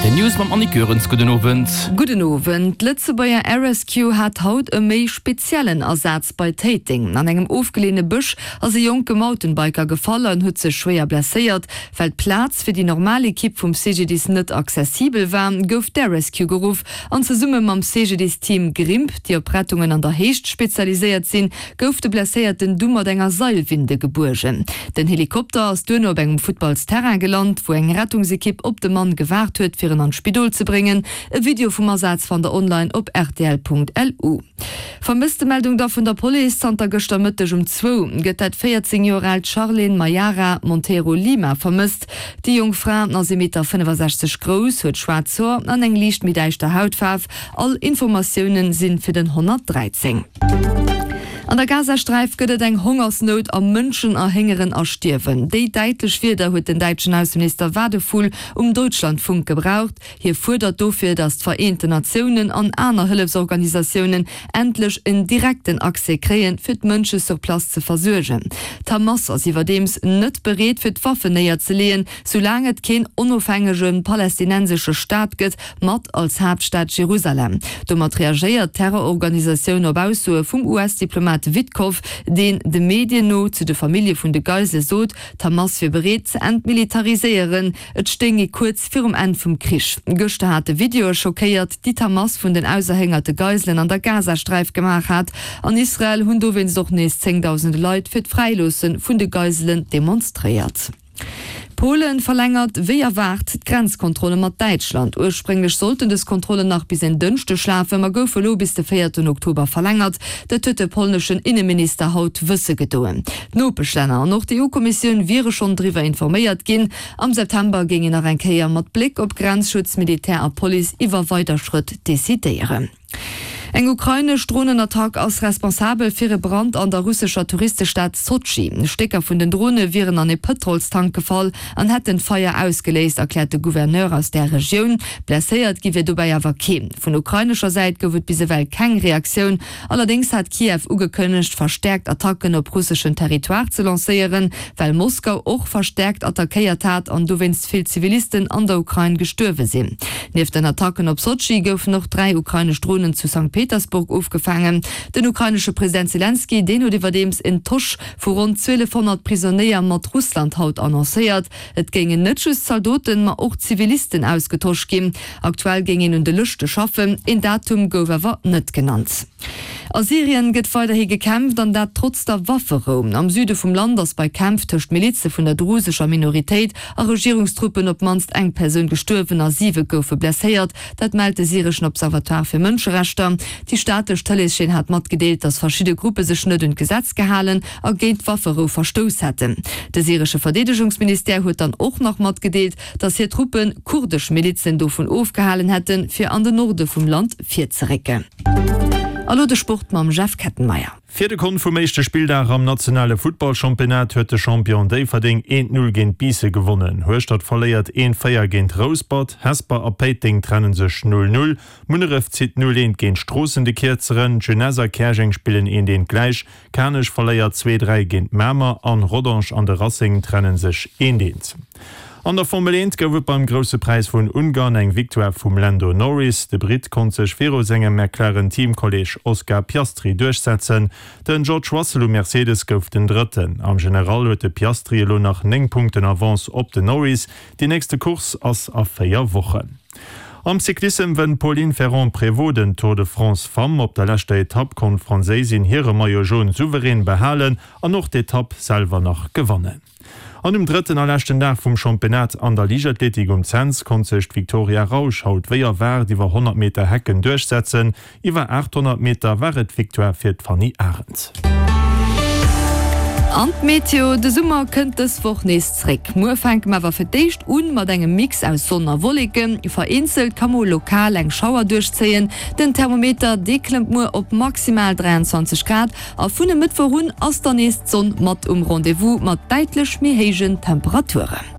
Rtl News mam Annick Goerens. Gudden Owend. Gudden Owend. D'Lëtzebuerger Air Rescue hat haut e méi speziellen Asaz bei Téiteng. An engem ofgeleeëne Bësch ass e jonke Mountainbiker gefall an huet sech schwéier blesséiert. Well d'Plaz fir déi normal Ekipp vum CGDIS net accessibel war, gouf d'Air Rescue geruff an zesumme mam CGDIS-Team Grimp, déi op Rettungen an der Héicht spezialiséiert sinn, gouf de Blesséierten du mat enger Seilwinde gebuergen. Den Helikopter ass duerno op engem Futtballsterrain gelant, wou eng Rettungsekipp op de Mann gewaart huet, fir en an d'Spidol ze bréngen. E Video vum Asaz fannt der online op rtl.lu. Vermësstemeldung da vun der Police, Zanter gëschter Mëtteg um zwou gëtt dat 14 Joer aalt Charlene Mayara Monteiro Lima vermësst. Déi jonk Fra ass ee Meter 65 grouss, huet schwaarz Hoer an eng liicht méi däischter Hautfaarf. All Informatioune sinn fir den 113. An der Gazasträif gëtt et eng Hongersnout a Mënschen erhéngeren a stierwen. Déi däitlech Wierder huet den däitschen Ausseminister Wadephul um Deutschlandfunk gebraucht. Hie fuerdert dofir, datt d'Vereenten Natiounen an aner Hëllefsorganisatiounen endlech en direkten Accès kréien, fir d'Mënsche sur place ze versuergen. D'Hamas ass iwwerdeems net bereet, fir d'Waffen néierzeleeën, soulaang et keen onofhängege palästinensesche Staat gëtt, mat als Haaptstad Jerusalem. Domat reagéiert d'Terrororganisatioun op Aussoe vum US-Diplomat Witkoff, deen de Medien no zu de Famillje vun de Geisele sot, d'Hamas wier bereet ze entmilitariséieren. Et stéing ee kuerz virum Enn vum Krich. Gëschter hate Videoe schockéiert, déi d'Hamas vun den auserhéngerte Geiselen an der Gazasträif gemaach hat. An Israel hunn dowéinst och nees zéngdausende Leit fir d'Fräiloosse vun de Geiselen demonstréiert. Polen verlängert wéi erwaart d'Grenzkontrolle mat Däitschland. Ursprénglech sollten dës Kontrollen nach bis en Dënschdeg lafen, ma goufe elo bis de véierten Oktober verlängert. Dat huet de polneschen Inneminister haut wësse gedoen. D'Nopeschlänner an och d'EU-Kommissioun wiere schonn driwwer informéiert ginn. Am September géing een nach eng Kéier mat Bléck op Grenzschutz, Militär a Police iwwer weider Schrëtt decidéieren. Eng ukrainesch Dronenattack ass responsabel fir e Brand an der russescher Touristestad Sotschi. Stécker vun den Drone wieren an e Pëtrolstank gefall an hätten d'Feier ausgeléist, erkläert de Gouverneur aus där Regioun. Blesséiert gi wier dobäi awer keen. Vun ukrainescher Säit gouf et bis ewell keng Reaktioun. Allerdéngs hat Kiew ugekënnegt, verstäerkt Attacken op russeschen Territoire ze lancéieren, well Moskau och verstäerkt attackéiert hat an dowéinst vill Zivilisten an der Ukrain gestuerwe sinn. Nieft den Attacken op Sotschi goufen och 3 ukrainesch Dronen zu Sankt Petersburg ofgefaangen. Den ukrainesche President Selenskyj, deen huet iwwerdeems en Tosch vu ronn 1.200 Prisonéier mat Russland haut annoncéiert. Et géingen net just Zaldoten, ma och Zivilisten ausgetosch ginn. Aktuell géing een un de Lëschte schaffen, een Datum gouf awer net genannt. A Syrien gëtt weiderhi gekämpft, an dat trotz der Wafferou. Am Süde vum Land ass bei Kämpf tëscht Milize vun der drusescher Minoritéit a Regierungstruppen op d'mannst eng Persoun gestuerwen a siwe goufe blesséiert. Dat mellt de syreschen Observatoire fir Mënscherechter. Déi staatlech Tëleeschaîne hat matgedeelt, datt verschidde Gruppe sech net un d'Gesetz gehalen a géint d'Wafferou verstouss hätten. De syresche Verdeedegungsministère huet dann och nach matgedeelt, datt hir Truppe kurdesch Milizen dovun ofgehalen hätten, fir an den Norde vum Land virzerécken. A lo de Sport mam Jeff Kettenmeyer. Fir de Kont vum éischte Spilldag am nationale Futtballchampionnat huet de Champion Déifferdeng 1, 0 géint Biissen gewonnen. Hueschtert verléiert 1, 4 géint Rouspert, Hesper a Péiteng trenne sech 0, 0, Munneref zitt 0, 1 géint Stroossen de Kierzeren, d'Jeunesse a Käerjeng spillen 1, 1 gläich. Kanech verléiert 2, 3 géint Mamer an Rodange an de Racing trennen sech 1, 1. An der Formel 1 gouf et beim Grousse Präis vun Ungarn eng Victoire vum Lando Norris. De Britt konnt sech viru sengem McLaren-Teamkolleeg Oscar Piastri duerchsetzen. Den George Russell um Mercedes gouf den Drëtten. Am General huet de Piastri elo nach 9 Punkten Avance op den Norris. Déi nächste Course ass a 4 Wochen. Am Cyclissem wënnt d'Pauline Ferrand-Prévot den Tour de France Femmes. Op der leschter Etapp konnt d'Franséisin hire Maillot Jaune souverän behalen an och d'Etapp selwer nach gewannen. An um drëtten a leschten Dag vum Championnat an der Liichtathletik um Cents konnt sech d'Victoria Rausch haut wéi erwaart iwwer 100 Meter Hecken duerchsetzen. Iwwer 800 Meter war et d'Victoire fir d'Fanny Arendt. An d'Meteo, De Summer kënnt dës Woch nees zréck. Muer fänke mer awer fir d'éischt un mat engem Mix aus Sonn a Wolleken. Vereenzelt ka mol lokal eng Schauer duerchzéien. Den Thermometer, dee klëmmt muer op maximal 23 Grad a vun e Mëttwoch un ass dann nees d'Sonn mat um Rendez-vous mat däitlech méi héijen Temperaturen.